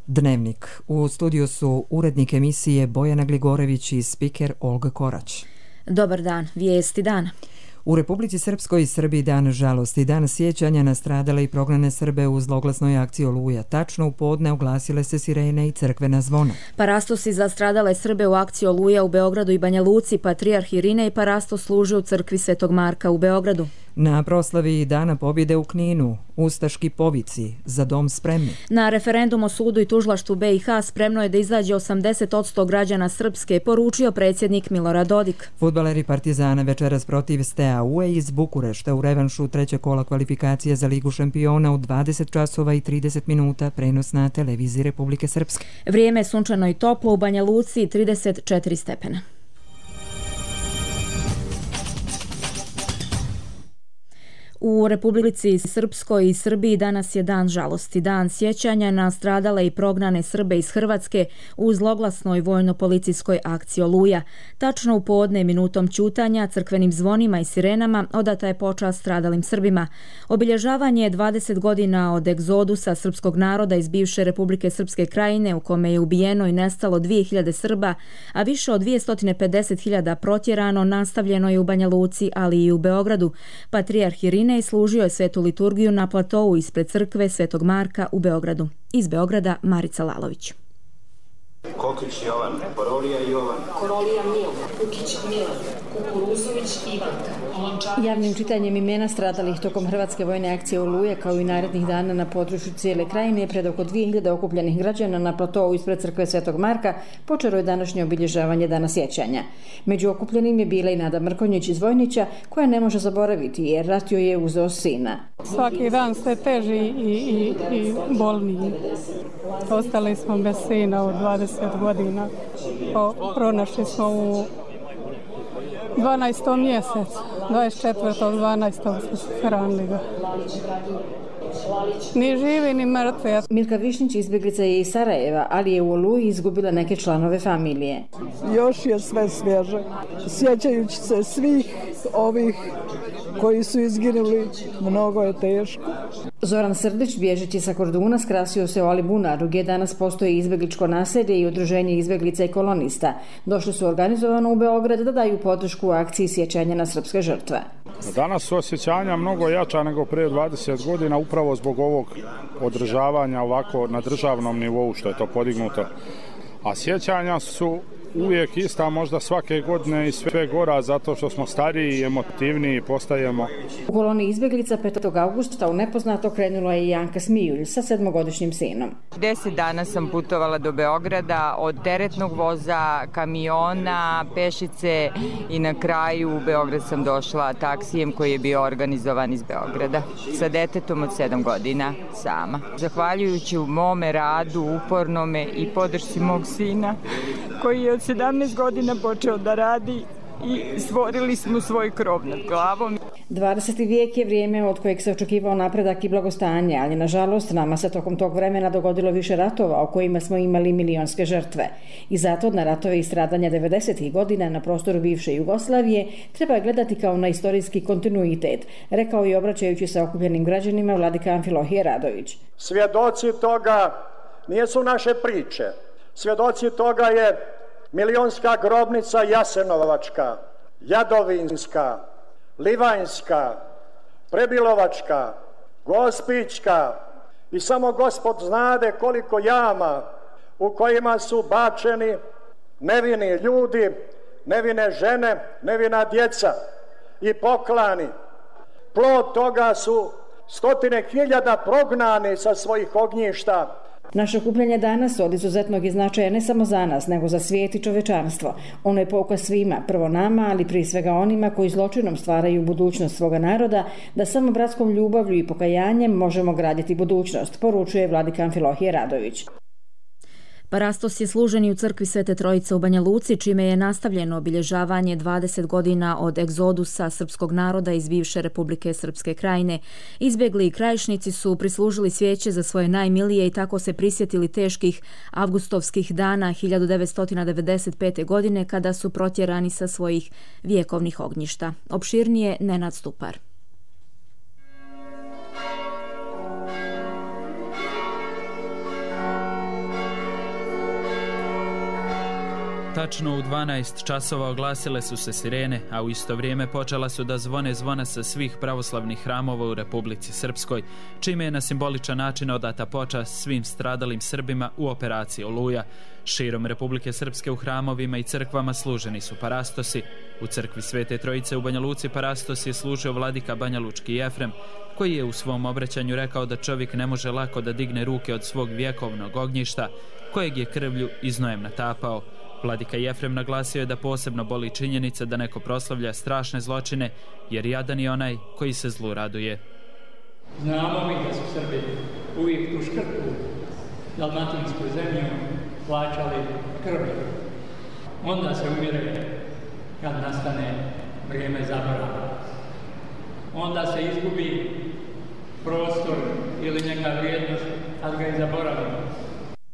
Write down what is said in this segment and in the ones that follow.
Dnevnik. U studiju su urednik emisije Bojana Gligorević i spiker Olga Korać. Dobar dan, vijesti dana. U Republici Srpskoj i Srbiji dan žalosti, dan sjećanja na stradale i prognane Srbe u zloglasnoj akciji Oluja. Tačno u podne oglasile se sirene i crkvena zvona. Parastosi za stradale Srbe u akciji Oluja u Beogradu i Banja Luci, patrijarh Irinej parastos služi u crkvi Svetog Marka u Beogradu. Na proslavi Dana pobjede u Kninu, ustaški povici, za dom spremni. Na referendum o sudu i tužilaštvu BiH spremno je da izađe 80% građana Srpske, poručio predsjednik Milorad Dodik. Fudbaleri Partizana večeras protiv Steaue iz Bukurešta u revanšu trećeg kola kvalifikacije za Ligu šampiona u 20 časova i 30 minuta, prenos na televiziji Republike Srpske. Vrijeme je sunčano i toplo, u Banja Luci 34 stepena. U Republici Srpskoj i Srbiji danas je dan žalosti, dan sjećanja na stradale i prognane Srbe iz Hrvatske u zloglasnoj vojno-policijskoj akciji Oluja. Tačno u podne minutom ćutanja, crkvenim zvonima i sirenama odata je počast stradalim Srbima. Obilježavanje je 20 godina od egzodusa srpskog naroda iz bivše Republike Srpske krajine u kome je ubijeno i nestalo 2000 Srba, a više od 250.000 protjerano, nastavljeno je u Banja Luci, ali i u Beogradu. Patrijarh Irinej služio je svetu liturgiju na platou ispred crkve Svetog Marka u Beogradu. Iz Beograda Marica Lalović. Kokić Jovan, Korolija Jovan, Korolija Milan, Kukić Milan, Kukuruzović Ivanka. Javnim čitanjem imena stradalih tokom hrvatske vojne akcije Oluja kao i narednih dana na području cijele krajine pred oko 2000 okupljenih građana na platou ispred crkve Svetog Marka počelo je današnje obilježavanje Dana sjećanja. Među okupljenim je bila i Nada Mrkonjić iz Vojnića, koja ne može zaboraviti jer rat joj je uzeo sina. Svaki dan sve teži i bolniji. Ostali smo bez sina od 20 godina. Pronašli smo u 12. mjesecu, 24.12. smo hranili ga. Ni živi, ni mrtvi. Milka Višnjić izbjeglica je iz Sarajeva, ali je u Oluji izgubila neke članove familije. Još je sve svježe. Sjećajući se svih ovih koji su izginuli, mnogo je teško. Zoran Srdić, bježeći sa Korduna, skrasio se u Alibunaru, gdje danas postoji izbjegličko naselje i udruženje izbjeglica i kolonista. Došli su organizovano u Beograd da daju podršku u akciji sjećanja na srpske žrtve. Danas su osjećanja mnogo jača nego prije 20 godina, upravo zbog ovog održavanja ovako na državnom nivou što je to podignuto. A sjećanja su uvijek ista, možda svake godine i sve gora, zato što smo stariji i emotivniji postajemo. U koloni izbjeglica 5. augusta u nepoznato krenula je Janka Smijulj sa 7-godišnjim sinom. 10 dana sam putovala do Beograda, od teretnog voza, kamiona, pešice i na kraju u Beograd sam došla taksijem koji je bio organizovan iz Beograda sa detetom od 7 godina sama. Zahvaljujući u mome radu, upornome i podršci mog sina koji je od 17 godina počeo da radi i stvorili smo svoj krov nad glavom. 20. vijek je vrijeme od kojeg se očekivao napredak i blagostanje, ali nažalost nama se tokom tog vremena dogodilo više ratova o kojima smo imali milionske žrtve. I zato na ratove i stradanja 90. godina na prostoru bivše Jugoslavije treba gledati kao na istorijski kontinuitet, rekao i obraćajući se okupljenim građanima vladika Amfilohije Radović. Svjedoci toga nisu naše priče. Svjedoci toga je milionska grobnica Jasenovačka, Jadovinska, Livanjska, Prebilovačka, Gospićka i samo Gospod znade koliko jama u kojima su bačeni nevini ljudi, nevine žene, nevina djeca i poklani. Plod toga su 100.000 prognani sa svojih ognjišta. Naše okupljanje danas od izuzetnog značaja ne samo za nas, nego za svijet i čovečanstvo. Ono je pouka svima, prvo nama, ali prije svega onima koji zločinom stvaraju budućnost svoga naroda, da samo bratskom ljubavlju i pokajanjem možemo graditi budućnost, poručuje vladika Amfilohije Radović. Parastos je služen i u crkvi Svete Trojice u Banja Luci, čime je nastavljeno obilježavanje 20 godina od egzodusa srpskog naroda iz bivše Republike Srpske krajine. Izbjegli krajišnici su prislužili svijeće za svoje najmilije i tako se prisjetili teških avgustovskih dana 1995. godine kada su protjerani sa svojih vjekovnih ognjišta. Opširnije Nenad Stupar. Tačno u 12 časova oglasile su se sirene, a u isto vrijeme počela su da zvone zvona sa svih pravoslavnih hramova u Republici Srpskoj, čime je na simboličan način odata počast svim stradalim Srbima u operaciji Oluja. Širom Republike Srpske u hramovima i crkvama služeni su parastosi. U crkvi Svete Trojice u Banja Luci parastos je služio vladika banjalučki Jefrem, koji je u svom obraćanju rekao da čovjek ne može lako da digne ruke od svog vjekovnog ognjišta, kojeg je krvlju i znojem natapao. Vladika Jefrem naglasio je da posebno boli činjenica da neko proslavlja strašne zločine, jer jadan je onaj koji se zlu raduje. Znamo mi da su Srbi uvijek tu škrtu dalmatinsku zemlju plaćali krvlju. Onda se umire kad nastane vrijeme zaborava. Onda se izgubi prostor ili neka vrijednost kad ga i zaboravimo.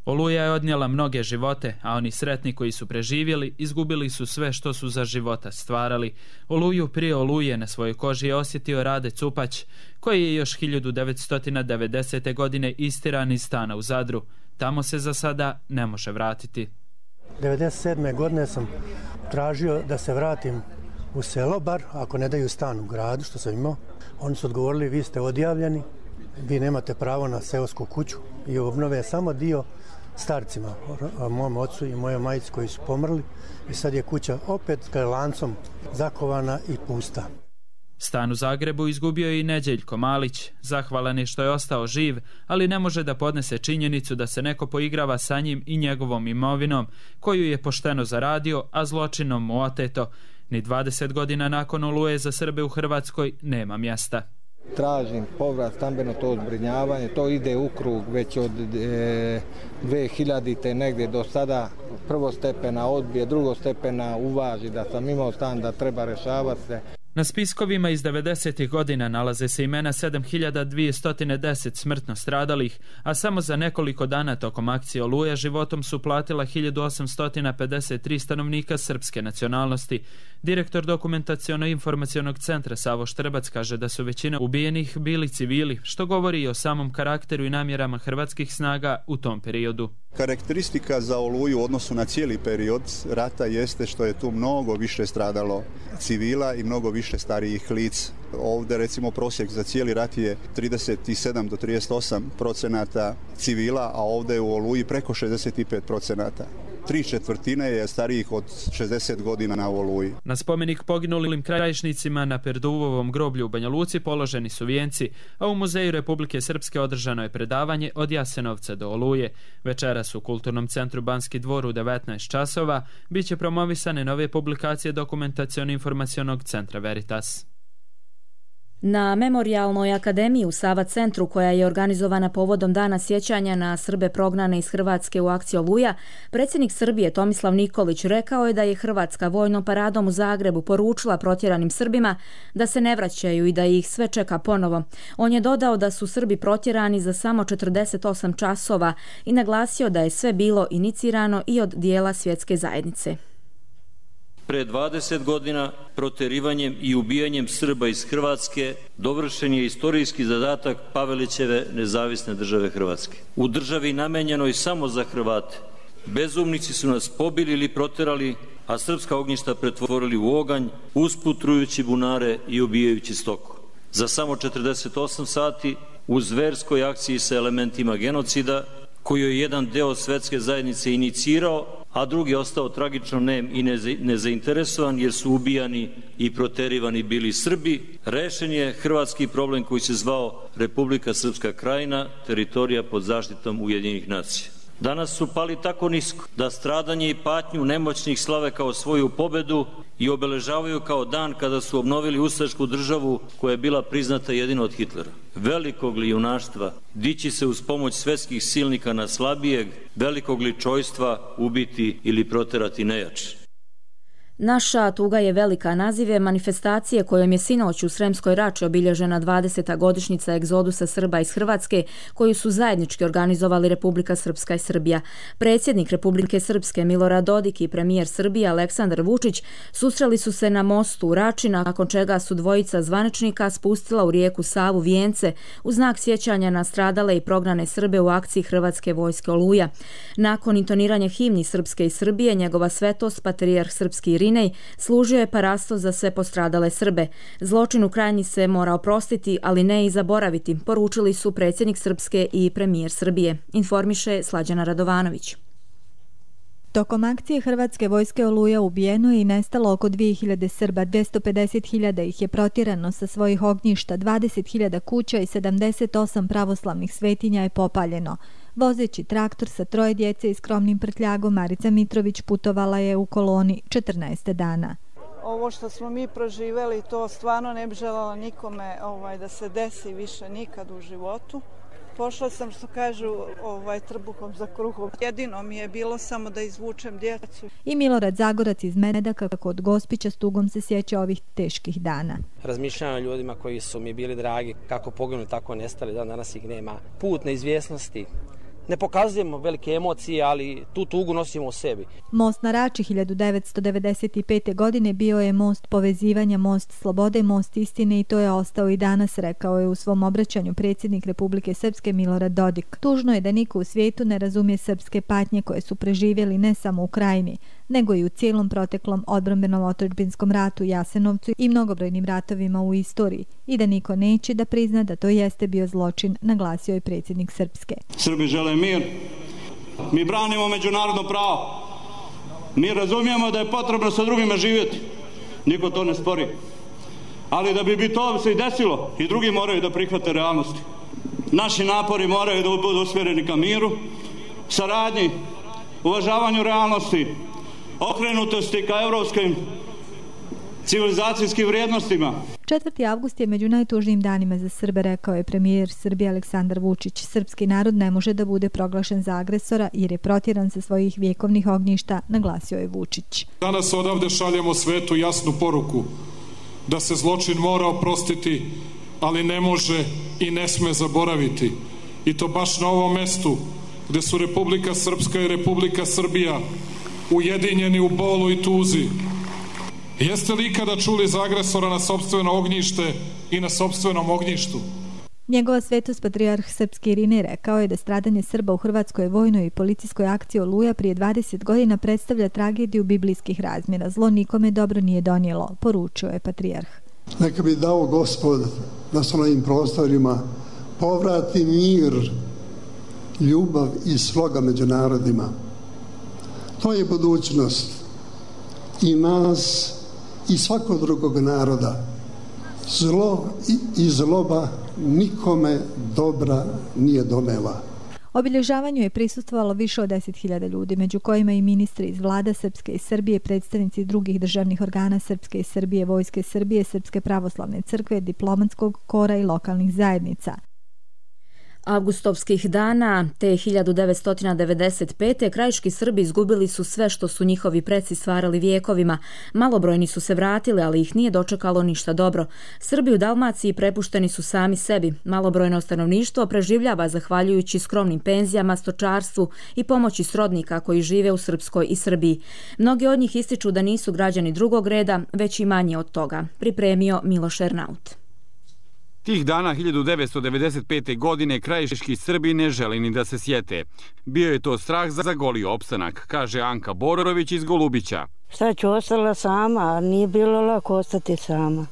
Oluja je odnijela mnoge živote, a oni sretni koji su preživjeli izgubili su sve što su za života stvarali. Oluju prije Oluje na svojoj koži je osjetio Rade Cupać, koji je još 1990. godine istiran iz stana u Zadru. Tamo se za sada ne može vratiti. 1997. godine sam tražio da se vratim u selo, bar ako ne daju stan u gradu, što sam imao. Oni su odgovorili, vi ste odjavljeni, vi nemate pravo na seosku kuću i obnove samo dio starcima, mom ocu i mojoj majici koji su pomrli, i sad je kuća opet lancom zakovana i pusta. Stan u Zagrebu izgubio je i Neđeljko Malić. Zahvalan je što je ostao živ, ali ne može da podnese činjenicu da se neko poigrava sa njim i njegovom imovinom, koju je pošteno zaradio, a zločinom mu oteto. Ni 20 godina nakon Oluje za Srbe u Hrvatskoj nema mjesta. Tražim povrat, stambeno to zbrinjavanje, to ide u krug već od 2000. negdje do sada. Prvostepena odbije, drugostepena uvaži da sam imao stan, da treba rješavati se. Na spiskovima iz 90. godina nalaze se imena 7210 smrtno stradalih, a samo za nekoliko dana tokom akcije Oluja životom su platila 1853 stanovnika srpske nacionalnosti. Direktor Dokumentaciono-informacionog centra Savo Štrbac kaže da su većina ubijenih bili civili, što govori i o samom karakteru i namjerama hrvatskih snaga u tom periodu. Karakteristika za Oluju u odnosu na cijeli period rata jeste što je tu mnogo više stradalo civila i mnogo više starijih lica. Ovdje recimo prosjek za cijeli rat je 37 do 38% civila, a ovdje u Oluji preko 65%. 3/4 je starijih od 60 godina na Oluji. Na spomenik poginulim krajišnicima na Perduvovom groblju u Banja Luci položeni su vijenci, a u Muzeju Republike Srpske održano je predavanje od Jasenovca do Oluje. Večeras u Kulturnom centru Banski dvor u 19 časova biće promovisane nove publikacije Dokumentaciono-informacionog centra Veritas. Na Memorijalnoj akademiji u Sava centru, koja je organizovana povodom Dana sjećanja na Srbe prognane iz Hrvatske u akciji Oluja, predsjednik Srbije Tomislav Nikolić rekao je da je Hrvatska vojnom paradom u Zagrebu poručila protjeranim Srbima da se ne vraćaju i da ih sve čeka ponovo. On je dodao da su Srbi protjerani za samo 48 časova i naglasio da je sve bilo inicirano i od dijela svjetske zajednice. Pre 20 godina protjerivanjem i ubijanjem Srba iz Hrvatske dovršen je istorijski zadatak Pavelićeve nezavisne države Hrvatske. U državi namenjenoj samo za Hrvate, bezumnici su nas pobili ili protjerali, a srpska ognjišta pretvorili u oganj, usput trujući bunare i ubijajući stoku. Za samo 48 sati u zverskoj akciji sa elementima genocida, koju je jedan deo svjetske zajednice inicirao, a drugi ostao tragično nem i nezainteresovan jer su ubijani i proterivani bili Srbi, rešen je hrvatski problem koji se zvao Republika Srpska Krajina, teritorija pod zaštitom Ujedinjenih nacija. Danas su pali tako nisko da stradanje i patnju nemoćnih slave kao svoju pobedu i obeležavaju kao dan kada su obnovili ustašku državu koja je bila priznata jedino od Hitlera. Velikog li junaštva dići se uz pomoć svetskih silnika na slabijeg, velikog li čojstva ubiti ili proterati nejače. Naša tuga je velika naziv je manifestacije kojom je sinoć u Sremskoj Rači obilježena 20. godišnjica egzodusa Srba iz Hrvatske koju su zajednički organizovali Republika Srpska i Srbija. Predsjednik Republike Srpske Milorad Dodik i premijer Srbije Aleksandar Vučić susreli su se na mostu u Rači, nakon čega su dvojica zvaničnika spustila u rijeku Savu vijence u znak sjećanja na stradale i prognane Srbe u akciji Hrvatske vojske Oluja. Nakon intoniranja himni Srpske i Srbije, njegova svetost patrijarh srpski Irinej služio je parasto za sve postradale Srbe. Zločin u Krajini se mora oprostiti, ali ne i zaboraviti, poručili su predsjednik Srpske i premijer Srbije, informiše Slađana Radovanović. Tokom akcije Hrvatske vojske Oluja ubijeno je i nestalo oko 2000 Srba, 250.000 ih je protjerano sa svojih ognjišta, 20.000 kuća i 78 pravoslavnih svetinja je popaljeno. Vozeći traktor sa 3 djece i skromnim prtljagom, Marica Mitrović putovala je u koloni 14 dana. Ovo što smo mi proživjeli, to stvarno ne bi željela nikome da se desi više nikad u životu. Pošla sam, što kažu, trbuhom za kruhom. Jedino mi je bilo samo da izvučem djecu. I Milorad Zagorac iz Medaka kod Gospića s tugom se sjeća ovih teških dana. Razmišljam o ljudima koji su mi bili dragi, kako poginuli, tako nestali, danas ih nema. Put neizvjesnosti. Ne pokazujemo velike emocije, ali tu tugu nosimo u sebi. Most na Rači 1995. godine bio je most povezivanja, most slobode, most istine i to je ostao i danas, rekao je u svom obraćanju predsjednik Republike Srpske Milorad Dodik. Tužno je da niko u svijetu ne razumije srpske patnje koje su preživjeli ne samo u Krajini, nego i u cijelom proteklom odbrambenom otadžbinskom ratu, Jasenovcu i mnogobrojnim ratovima u istoriji i da niko neće da prizna da to jeste bio zločin, naglasio je predsjednik Srpske. Srbi žele mir. Mi branimo međunarodno pravo. Mi razumijemo da je potrebno sa drugima živjeti. Niko to ne spori. Ali da bi to se i desilo, i drugi moraju da prihvate realnosti. Naši napori moraju da budu usmjereni ka miru, saradnji, uvažavanju realnosti, okrenutosti ka evropskim civilizacijskim vrijednostima. 4. avgust je među najtužnijim danima za Srbe, rekao je premijer Srbije Aleksandar Vučić. Srpski narod ne može da bude proglašen za agresora jer je protjeran sa svojih vjekovnih ognjišta, naglasio je Vučić. Danas odavde šaljemo svetu jasnu poruku da se zločin mora oprostiti, ali ne može i ne sme zaboraviti. I to baš na ovom mestu gdje su Republika Srpska i Republika Srbija ujedinjeni u bolu i tuzi. Jeste li ikada čuli za agresora na sopstveno ognjište i na sopstvenom ognjištu? Njegova svetost patrijarh srpski Irinej rekao je da stradanje Srba u hrvatskoj vojnoj i policijskoj akciji Oluja prije 20 godina predstavlja tragediju biblijskih razmjera. Zlo nikome dobro nije donijelo, poručio je patrijarh. Neka bi dao Gospod da se na ovim prostorima povrati mir, ljubav i sloga među narodima. To je budućnost i nas i svakog drugog naroda. Zlo i zloba nikome dobra nije donela. Obilježavanju je prisustvovalo više od 10.000 ljudi, među kojima i ministri iz vlada Srpske i Srbije, predstavnici drugih državnih organa Srpske i Srbije, Vojske Srbije, Srpske pravoslavne crkve, diplomatskog kora i lokalnih zajednica. Avgustovskih dana te 1995. krajiški Srbi izgubili su sve što su njihovi preci stvarali vijekovima. Malobrojni su se vratili, ali ih nije dočekalo ništa dobro. Srbi u Dalmaciji prepušteni su sami sebi. Malobrojno stanovništvo preživljava zahvaljujući skromnim penzijama, stočarstvu i pomoći srodnika koji žive u Srpskoj i Srbiji. Mnogi od njih ističu da nisu građani drugog reda, već i manje od toga. Pripremio Miloš Ernaut. Tih dana 1995. godine krajiški Srbi ne želi ni da se sjete. Bio je to strah za goli opstanak, kaže Anka Bororović iz Golubića. Šta ću, ostala sama, a nije bilo lako ostati sama.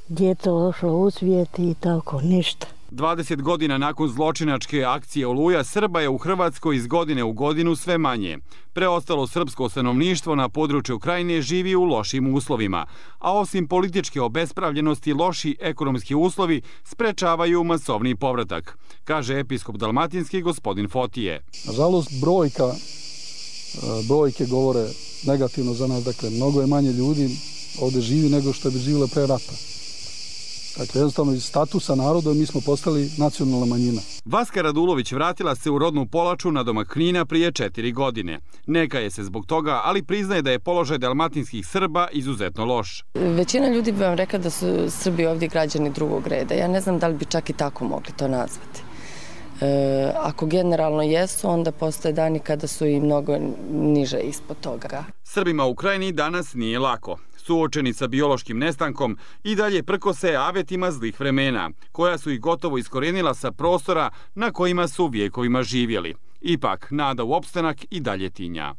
Djeto ošlo u svijet i tako, ništa. 20 godina nakon zločinačke akcije Oluja, Srba je u Hrvatskoj iz godine u godinu sve manje. Preostalo srpsko stanovništvo na području Krajine živi u lošim uslovima, a osim političke obespravljenosti, loši ekonomski uslovi sprečavaju masovni povratak, kaže episkop dalmatinski gospodin Fotije. Nažalost, brojke govore negativno za nas, dakle, mnogo je manje ljudi ovdje živi nego što bi živjelo pre rata. Dakle, jednostavno iz statusa naroda mi smo postali nacionalna manjina. Vaska Radulović vratila se u rodnu Polaču na domak Knina prije 4 godine. Neka je se zbog toga, ali priznaje da je položaj dalmatinskih Srba izuzetno loš. Većina ljudi bi vam rekla da su Srbi ovdje građani drugog reda. Ja ne znam da li bi čak i tako mogli to nazvati. Ako generalno jesu, onda postoje dani kada su i mnogo niže ispod toga. Srbima u Ukrajini danas nije lako. Suočeni sa biološkim nestankom i dalje prkose avetima zlih vremena, koja su ih gotovo iskorenila sa prostora na kojima su vjekovima živjeli. Ipak, nada u opstanak i dalje tinja.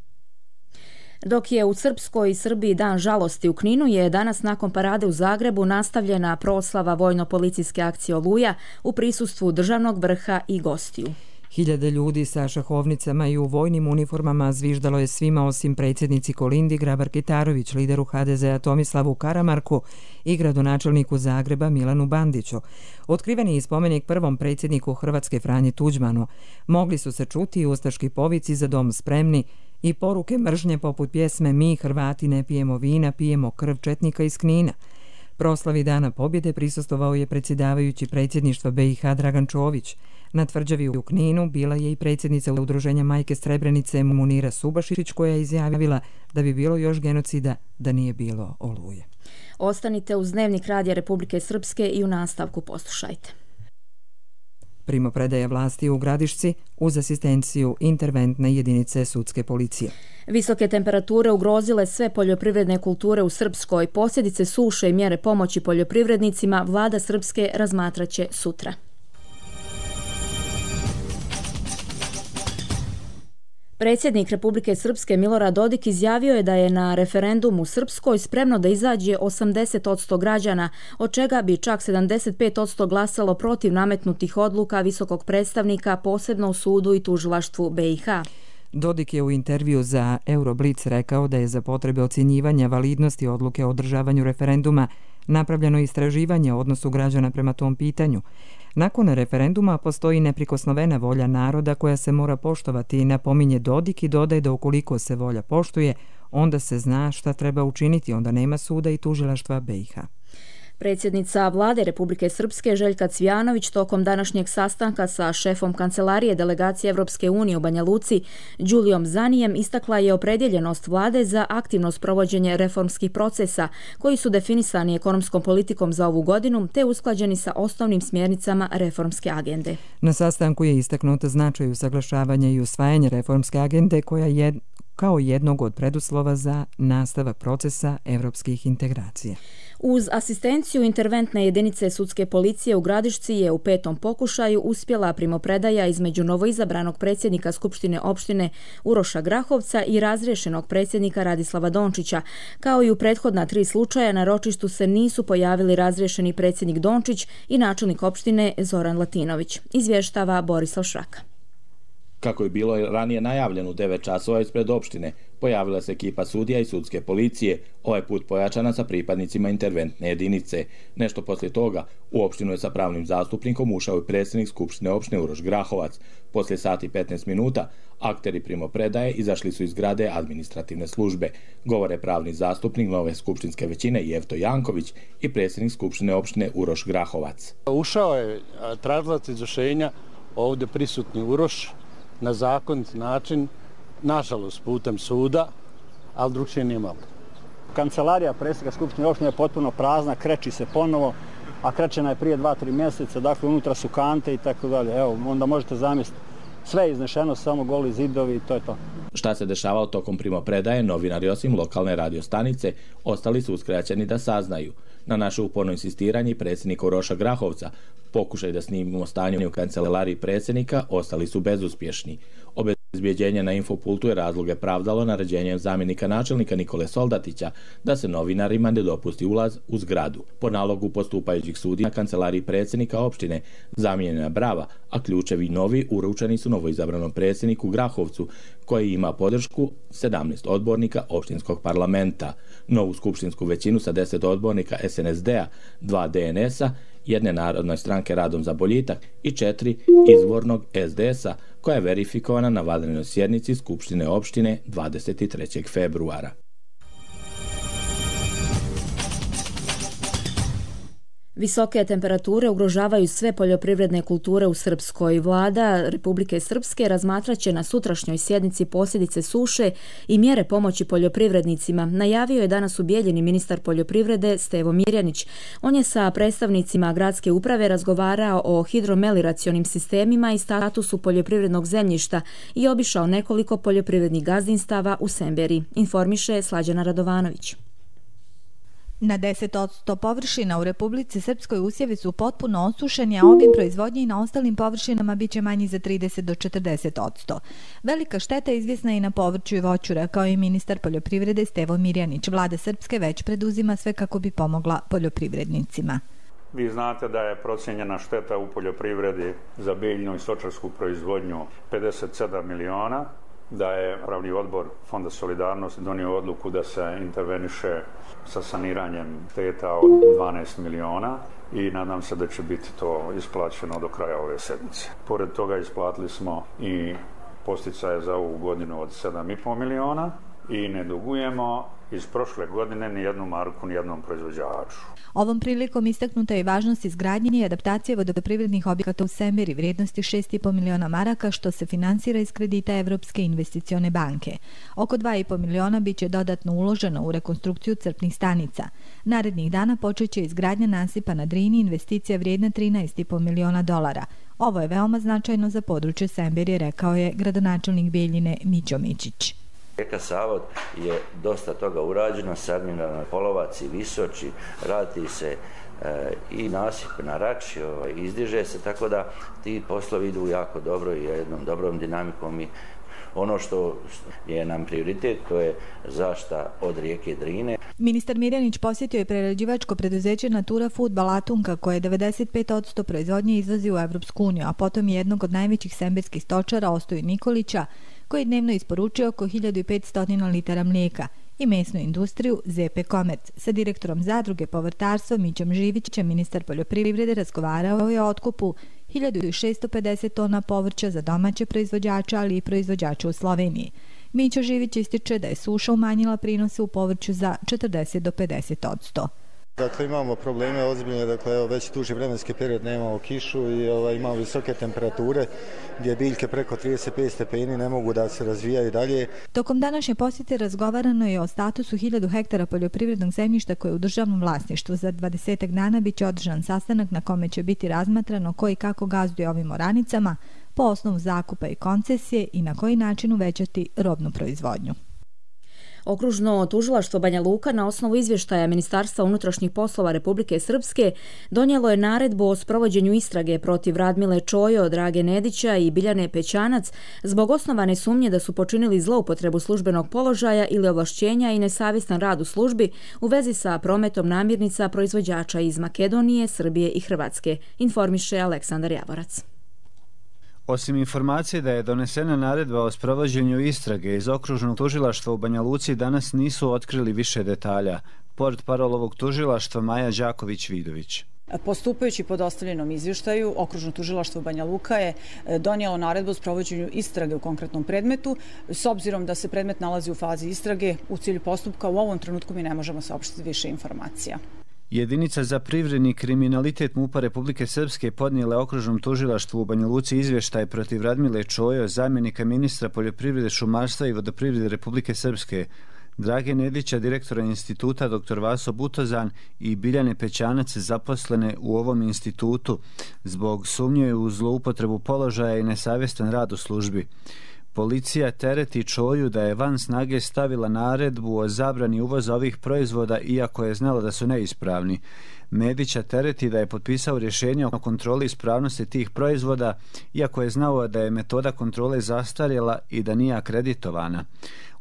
Dok je u Srpskoj i Srbiji dan žalosti u Kninu, je danas nakon parade u Zagrebu nastavljena proslava vojno-policijske akcije Oluja u prisustvu državnog vrha i gostiju. Hiljade ljudi sa šahovnicama i u vojnim uniformama zviždalo je svima osim predsjednici Kolindi Grabar-Kitarović, lideru HDZ-a Tomislavu Karamarku i gradonačelniku Zagreba Milanu Bandiću. Otkriveni spomenik prvom predsjedniku Hrvatske Franji Tuđmanu. Mogli su se čuti i ustaški povici za dom spremni i poruke mržnje poput pjesme Mi Hrvati ne pijemo vina, pijemo krv četnika iz Knina. Proslavi Dana pobjede prisustvovao je predsjedavajući predsjedništva BiH Dragan Čović. Na tvrđavi u Kninu bila je i predsjednica udruženja Majke Srebrenice Munira Subašić, koja je izjavila da bi bilo još genocida da nije bilo Oluje. Ostanite uz Dnevnik Radija Republike Srpske i u nastavku poslušajte. Primopredaja vlasti u Gradišci uz asistenciju interventne jedinice sudske policije. Visoke temperature ugrozile sve poljoprivredne kulture u Srpskoj. Posljedice suše i mjere pomoći poljoprivrednicima vlada Srpske razmatraće sutra. Predsjednik Republike Srpske Milorad Dodik izjavio je da je na referendumu u Srpskoj spremno da izađe 80% građana, od čega bi čak 75% glasalo protiv nametnutih odluka visokog predstavnika, posebno u sudu i tužilaštvu BiH. Dodik je u intervju za Euroblitz rekao da je za potrebe ocjenjivanja validnosti odluke o održavanju referenduma napravljeno istraživanje o odnosu građana prema tom pitanju. Nakon referenduma postoji neprikosnovena volja naroda koja se mora poštovati i napominje Dodik i dodaje da ukoliko se volja poštuje, onda se zna šta treba učiniti, onda nema suda i tužilaštva BiH. Predsjednica vlade Republike Srpske Željka Cvijanović tokom današnjeg sastanka sa šefom kancelarije delegacije Evropske unije u Banja Luci, Đulijom Zanijem, istakla je opredjeljenost vlade za aktivno sprovođenje reformskih procesa koji su definisani ekonomskom politikom za ovu godinu te usklađeni sa osnovnim smjernicama reformske agende. Na sastanku je istaknuto značaj usaglašavanja i usvajanja reformske agende koja je kao jednog od preduslova za nastavak procesa evropskih integracija. Uz asistenciju interventne jedinice sudske policije u Gradišci je u 5. pokušaju uspjela primopredaja između novoizabranog predsjednika Skupštine opštine Uroša Grahovca i razriješenog predsjednika Radislava Dončića. Kao i u prethodna 3 slučaja, na ročištu se nisu pojavili razriješeni predsjednik Dončić i načelnik opštine Zoran Latinović. Izvještava Borislav Šraka. Kako je bilo ranije najavljeno u 9 časova ispred opštine, pojavila se ekipa sudija i sudske policije, ovaj put pojačana sa pripadnicima interventne jedinice. Nešto poslije toga, u opštinu je sa pravnim zastupnikom ušao i predsjednik Skupštine opštine Uroš Grahovac. Poslije sati 15 minuta, akteri primopredaje izašli su iz zgrade administrativne službe. Govore pravni zastupnik nove skupštinske većine Jevto Janković i predsjednik Skupštine opštine Uroš Grahovac. Ušao je tražilac izvršenja, ovdje prisutni Uroš, na zakonit način, nažalost putem suda, ali drugčije nije malo. Kancelarija predsjednika Skupštine opštine je potpuno prazna, kreći se ponovo, a krećena je prije 2-3 mjeseca, dakle unutra su kante i tako dalje. Evo, onda možete zamisliti, sve je iznešeno, samo goli zidovi i to je to. Šta se dešavalo tokom primopredaje, novinari osim lokalne radiostanice ostali su uskraćeni da saznaju. Na naše uporno insistiranje predsjednika Uroša Grahovca, pokušaj da snimimo stanje u kancelariji predsjednika, ostali su bezuspješni. Obezbjeđenje na Infopultu je razloge pravdalo naređenjem zamjenika načelnika Nikole Soldatića da se novinarima ne dopusti ulaz u zgradu. Po nalogu postupajućih sudija na kancelariji predsjednika opštine zamijenjena brava, a ključevi novi uručeni su novoizabranom predsjedniku Grahovcu, koji ima podršku 17 odbornika opštinskog parlamenta. Novu skupštinsku većinu sa 10 odbornika SNSD-a, 2 DNS-a, 1 Narodne stranke Radom za boljitak i 4 izvornog SDS-a, koja je verifikovana na vanrednoj sjednici Skupštine opštine 23. februara. Visoke temperature ugrožavaju sve poljoprivredne kulture u Srpskoj. Vlada Republike Srpske razmatraće na sutrašnjoj sjednici posljedice suše i mjere pomoći poljoprivrednicima. Najavio je danas u Bijeljini ministar poljoprivrede Stevo Mirjanić. On je sa predstavnicima gradske uprave razgovarao o hidromelioracionim sistemima i statusu poljoprivrednog zemljišta i obišao nekoliko poljoprivrednih gazdinstava u Semberi, informiše Slađana Radovanović. Na 10% površina u Republici Srpskoj usjevi su potpuno osušeni, a obim proizvodnje i na ostalim površinama biće manji za 30 do 40%. Velika šteta izvjesna i na povrću i voću, rekao i ministar poljoprivrede Stevo Mirjanić. Vlada Srpske već preduzima sve kako bi pomogla poljoprivrednicima. Vi znate da je procijenjena šteta u poljoprivredi za biljnu i stočarsku proizvodnju 57 miliona, da je Upravni odbor Fonda solidarnosti donio odluku da se interveniše sa saniranjem šteta od 12 miliona i nadam se da će biti to isplaćeno do kraja ove sedmice. Pored toga isplatili smo i posticaje za ovu godinu od 7,5 miliona i ne dugujemo iz prošle godine ni jednu marku ni jednom proizvođaču. Ovom prilikom istaknuta je važnost izgradnje i adaptacije vodoprivrednih objekata u Semberi vrijednosti 6,5 miliona maraka, što se finansira iz kredita Evropske investicione banke. Oko 2,5 miliona biće dodatno uloženo u rekonstrukciju crpnih stanica. Narednih dana počeće izgradnja nasipa na Drini, investicija vrijedna 13,5 miliona dolara. Ovo je veoma značajno za područje Semberi, rekao je gradonačelnik Bijeljine Mićo Mičić. Rijeka Sava je dosta toga urađeno, sanirana Polovac i Visoči, radi se i nasip na Rači, izdiže se, tako da ti poslovi idu jako dobro i jednom dobrom dinamikom i ono što je nam prioritet, to je zaštita od rijeke Drine. Ministar Mirjanić posjetio je prerađivačko preduzeće Natura Food Balatunka, koje 95% proizvodnje izvozi u Evropsku uniju, a potom je jednog od najvećih semberskih stočara Ostoju Nikolića, koji dnevno isporučuje oko 1500 litara mlijeka, i mesnu industriju ZP Komerc. Sa direktorom zadruge povrtarstva Mićom Živićem ministar poljoprivrede razgovarao je o otkupu 1650 tona povrća za domaće proizvođače, ali i proizvođače u Sloveniji. Mićo Živić ističe da je suša umanjila prinose u povrću za 40 do 50%. Dakle, imamo probleme ozbiljne, dakle, već duži vremenski period nemamo kišu i imamo visoke temperature gdje biljke preko 35 stepeni ne mogu da se razvijaju dalje. Tokom današnje posjete razgovarano je o statusu 1000 hektara poljoprivrednog zemljišta koje je u državnom vlasništvu. Za 20 dana biće održan sastanak na kome će biti razmatrano ko i kako gazduje ovim oranicama po osnovu zakupa i koncesije i na koji način uvećati robnu proizvodnju. Okružno tužilaštvo Banja Luka na osnovu izvještaja Ministarstva unutrašnjih poslova Republike Srpske donijelo je naredbu o sprovođenju istrage protiv Radmile Čojo, Drage Nedića i Biljane Pećanac zbog osnovane sumnje da su počinili zloupotrebu službenog položaja ili ovlašćenja i nesavjestan rad u službi u vezi sa prometom namirnica proizvođača iz Makedonije, Srbije i Hrvatske, informiše Aleksandar Javorac. Osim informacije da je donesena naredba o sprovođenju istrage iz okružnog tužilaštva u Banja Luci, danas nisu otkrili više detalja. Portparol ovog tužilaštva Maja Đaković-Vidović. Postupajući po dostavljenom izvještaju, okružno tužilaštvo Banja Luka je donijelo naredbu o sprovođenju istrage u konkretnom predmetu. S obzirom da se predmet nalazi u fazi istrage, u cilju postupka u ovom trenutku mi ne možemo saopštiti više informacija. Jedinica za privredni kriminalitet MUP-a Republike Srpske podnijela okružnom tužilaštvu u Banja Luci izvještaj protiv Radmile Čojo, zamjenika ministra poljoprivrede, šumarstva i vodoprivrede Republike Srpske, Drage Nedića, direktora instituta dr. Vaso Butozan i Biljane Pećanac, zaposlene u ovom institutu zbog sumnje u zloupotrebu položaja i nesavjestan rad u službi. Policija tereti Čoju da je van snage stavila naredbu o zabrani uvoza ovih proizvoda iako je znala da su neispravni. Nedića tereti da je potpisao rješenje o kontroli ispravnosti tih proizvoda iako je znao da je metoda kontrole zastarjela i da nije akreditovana.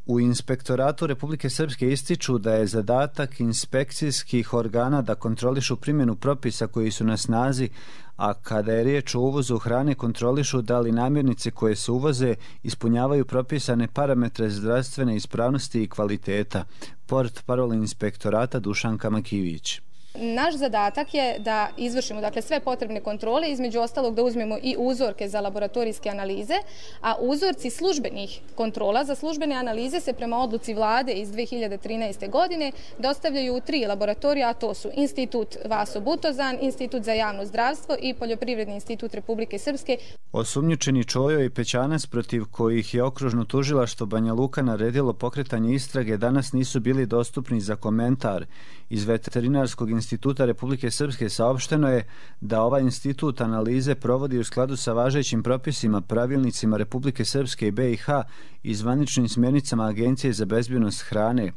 U Inspektoratu Republike Srpske ističu da je zadatak inspekcijskih organa da kontrolišu primjenu propisa koji su na snazi, a kada je riječ o uvozu hrane kontrolišu da li namirnice koje se uvoze ispunjavaju propisane parametre zdravstvene ispravnosti i kvaliteta. Portparol Inspektorata Dušanka Makivić. Naš zadatak je da izvršimo sve potrebne kontrole, između ostalog da uzmemo i uzorke za laboratorijske analize, a uzorci službenih kontrola za službene analize se prema odluci vlade iz 2013. godine dostavljaju u 3 laboratorija, a to su Institut Vaso Butozan, Institut za javno zdravstvo i Poljoprivredni institut Republike Srpske. Osumnjičeni Čojo i Pećanac, protiv kojih je okružno tužilaštvo Banja Luka naredilo pokretanje istrage, danas nisu bili dostupni za komentar. Iz Veterinarskog instituta Republike Srpske saopšteno je da ovaj institut analize provodi u skladu sa važećim propisima, pravilnicima Republike Srpske i BiH i zvaničnim smjernicama Agencije za bezbjednost hrane.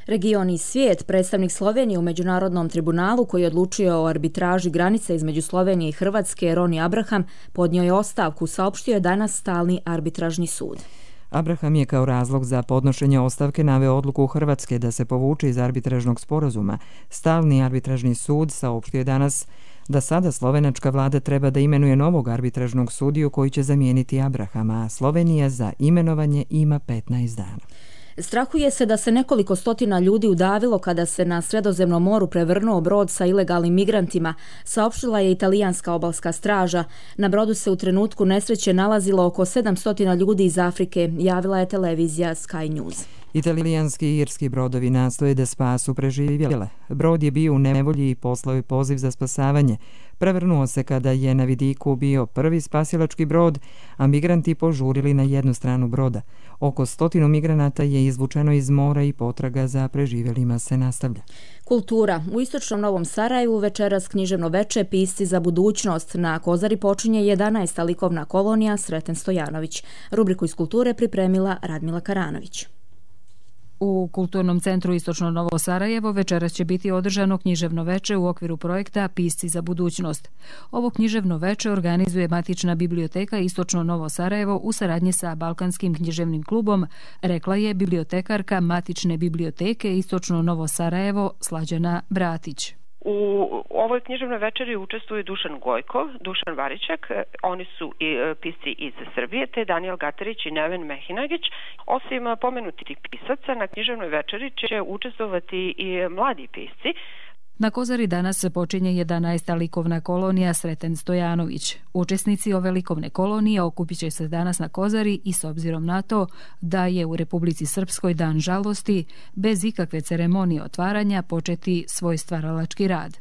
Region i svijet, predstavnik Slovenije u Međunarodnom tribunalu koji je odlučio o arbitraži granice između Slovenije i Hrvatske, Roni Abraham, podnio je ostavku, saopštio je danas stalni arbitražni sud. Abraham je kao razlog za podnošenje ostavke naveo odluku Hrvatske da se povuče iz arbitražnog sporazuma. Stalni arbitražni sud saopštio je danas da sada slovenačka vlada treba da imenuje novog arbitražnog sudiju koji će zamijeniti Abrahama, a Slovenija za imenovanje ima 15 dana. Strahuje se da se nekoliko stotina ljudi udavilo kada se na Sredozemnom moru prevrnuo brod sa ilegalnim migrantima, saopštila je italijanska obalska straža. Na brodu se u trenutku nesreće nalazilo oko 700 ljudi iz Afrike, javila je televizija Sky News. Italijanski i irski brodovi nastoje da spasu preživjele. Brod je bio u nevolji i poslao je poziv za spasavanje. Prevrnuo se kada je na vidiku bio prvi spasilački brod, a migranti požurili na jednu stranu broda. Oko 100 migranata je izvučeno iz mora i potraga za preživjelima se nastavlja. Kultura. U istočnom Novom Sarajevu večeras književno veče Pisci za budućnost. Na Kozari počinje 11. likovna kolonija Sreten Stojanović. Rubriku iz kulture pripremila Radmila Karanović. U Kulturnom centru Istočno Novo Sarajevo večeras će biti održano književno veče u okviru projekta Pisci za budućnost. Ovo književno veče organizuje Matična biblioteka Istočno Novo Sarajevo u saradnji sa Balkanskim književnim klubom, rekla je bibliotekarka Matične biblioteke Istočno Novo Sarajevo Slađana Bratić. U ovoj književnoj večeri učestvuju Dušan Gojko, Dušan Varičak, oni su i pisci iz Srbije, te Daniel Gatarić i Neven Mehinagić. Osim pomenutih pisaca, na književnoj večeri će učestvovati i mladi pisci. Na Kozari danas počinje 11. likovna kolonija Sreten Stojanović. Učesnici ove likovne kolonije okupit će se danas na Kozari i s obzirom na to da je u Republici Srpskoj dan žalosti, bez ikakve ceremonije otvaranja početi svoj stvaralački rad.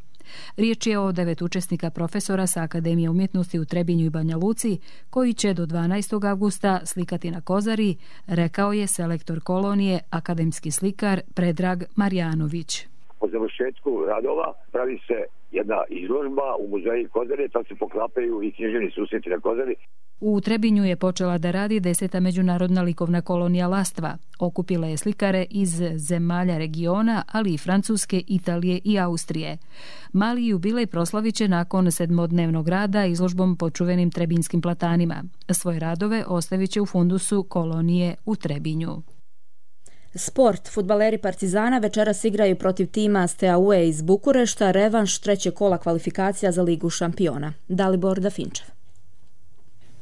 Riječ je o 9 učesnika profesora sa Akademije umjetnosti u Trebinju i Banja Luci, koji će do 12. avgusta slikati na Kozari, rekao je selektor kolonije, akademski slikar Predrag Marjanović. Po završetku radova pravi se jedna izložba u muzeju Kozare, tad se poklapaju i književni susreti na Kozari. U Trebinju je počela da radi 10. međunarodna likovna kolonija Lastva. Okupila je slikare iz zemalja regiona, ali i Francuske, Italije i Austrije. Mali jubilej proslavit će nakon 7-dnevnog rada izložbom po čuvenim trebinskim platanima. Svoje radove ostavit će u fundusu kolonije u Trebinju. Sport. Fudbaleri Partizana večeras igraju protiv tima Steaue iz Bukurešta, revanš trećeg kola kvalifikacija za Ligu šampiona. Dalibor Dafinčev.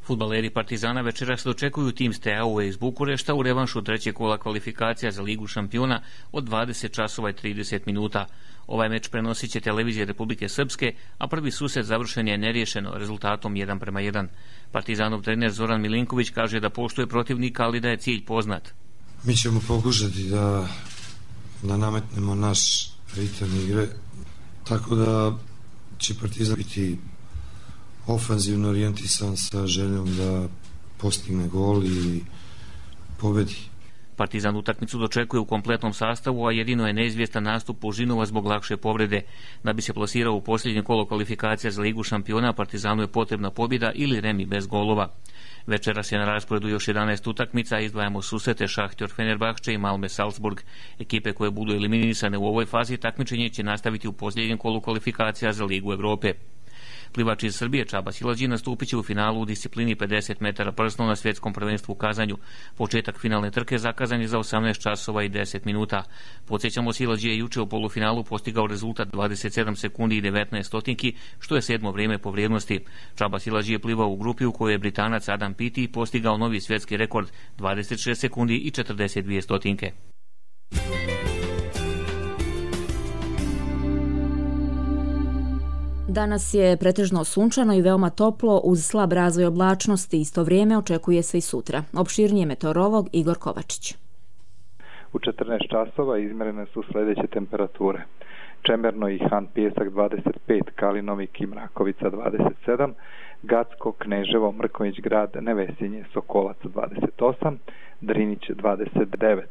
Fudbaleri Partizana večeras dočekuju tim Steaue iz Bukurešta u revanšu trećeg kola kvalifikacija za Ligu šampiona od 20 časova i 30 minuta. Ovaj meč prenosit će televizija Republike Srpske, a prvi susret završen je neriješeno rezultatom 1:1. Partizanov trener Zoran Milinković kaže da poštuje protivnika, ali da je cilj poznat. Mi ćemo pokušati da nametnemo naš ritam igre, tako da će Partizan biti ofanzivno orijentisan sa željom da postigne gol i pobedi. Partizan utakmicu dočekuje u kompletnom sastavu, a jedino je neizvjestan nastup Pužinova zbog lakše povrede. Da bi se plasirao u posljednje kolo kvalifikacija za Ligu šampiona, Partizanu je potrebna pobjeda ili remi bez golova. Večeras je na rasporedu još 11 utakmica, izdvajamo susrete Šahtjor Fenerbahče i Malme Salzburg. Ekipe koje budu eliminisane u ovoj fazi takmičenje će nastaviti u posljednjem kolu kvalifikacija za Ligu Evrope. Plivač iz Srbije Čaba Silađi nastupit će u finalu u disciplini 50 metara prsno na svjetskom prvenstvu u Kazanju. Početak finalne trke zakazan je za 18 časova i 10 minuta. Podsjećamo, Silađi je juče u polufinalu postigao rezultat 27 sekundi i 19 stotinki, što je 7. vrijeme po vrijednosti. Čaba Silađi je plivao u grupi u kojoj je Britanac Adam Peaty postigao novi svjetski rekord 26 sekundi i 42 stotinke. Danas je pretežno sunčano i veoma toplo uz slab razvoj oblačnosti. Isto vrijeme očekuje se i sutra. Opširnije meteorolog Igor Kovačić. U 14 časova izmjerene su sljedeće temperature. Čemerno i Han Pijesak 25, Kalinovik i Mrakovica 27, Gacko, Kneževo, Mrkonjić grad, Nevesinje, Sokolac 28, Drinić 29,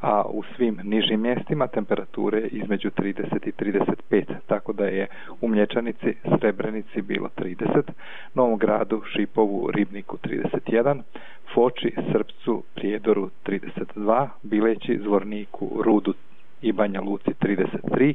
a u svim nižim mjestima temperature između 30 i 35, tako da je u Mlječanici, Srebrenici bilo 30, Novom Gradu, Šipovu, Ribniku 31, Foči, Srpcu, Prijedoru 32, Bileći, Zvorniku, Rudu i Banja Luci 33,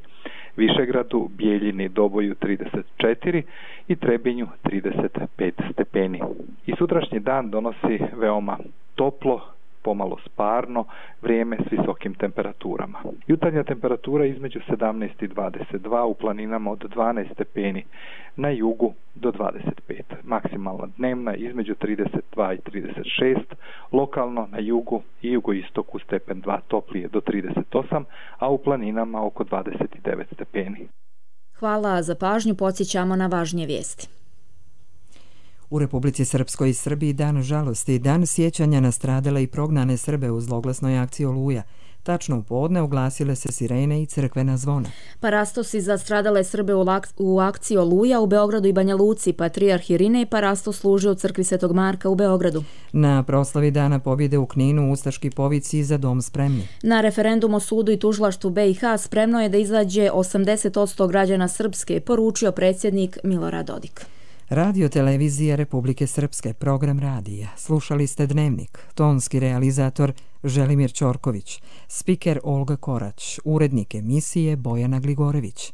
Višegradu, Bijeljini, Doboju 34 i Trebinju 35 stepeni. I sutrašnji dan donosi veoma toplo, pomalo sparno vrijeme s visokim temperaturama. Jutarnja temperatura između 17 i 22, u planinama od 12 stepeni, na jugu do 25. Maksimalna dnevna između 32 i 36, lokalno na jugu i jugoistoku stepen 2 toplije do 38, a u planinama oko 29 stepeni. Hvala za pažnju, podsjećamo na važnije vijesti. U Republici Srpskoj i Srbiji dan žalosti, dan sjećanja na stradale i prognane Srbe u zloglasnoj akciji Oluja. Tačno u podne oglasile se sirene i crkvena zvona. Parastosi za stradale Srbe u akciji Oluja u Beogradu i Banja Luci, patrijarh Irinej parastos služi u crkvi Svetog Marka u Beogradu. Na proslavi Dana pobjede u Kninu ustaški povici Za dom spremni. Na referendum o sudu i tužilaštvu BiH spremno je da izađe 80% građana Srpske, poručio predsjednik Milorad Dodik. Radio Televizija Republike Srpske, program radija. Slušali ste Dnevnik, tonski realizator Želimir Ćorković, spiker Olga Korać, urednik emisije Bojana Gligorević.